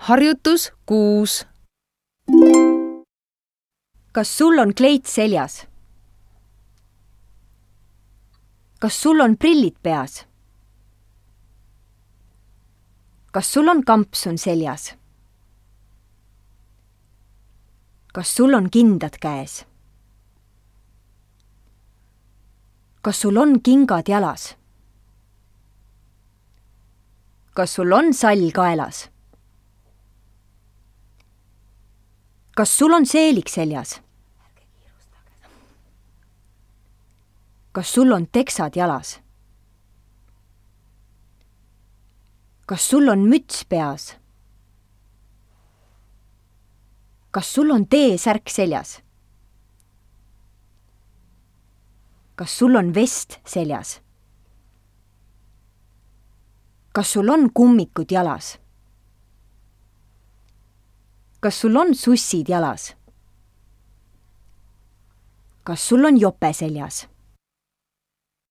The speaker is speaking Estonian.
Harjutus 6. Kas sul on kleit seljas? Kas sul on prillid peas? Kas sul on kampsun seljas? Kas sul on kindad käes? Kas sul on kingad jalas? Kas sul on sall kaelas? Kas sul on seelik seljas? Kas sul on teksad jalas? Kas sul on müts peas? Kas sul on T-särk seljas? Kas sul on vest seljas? Kas sul on kummikud jalas? Kas sul on sussid jalas? Kas sul on jope seljas?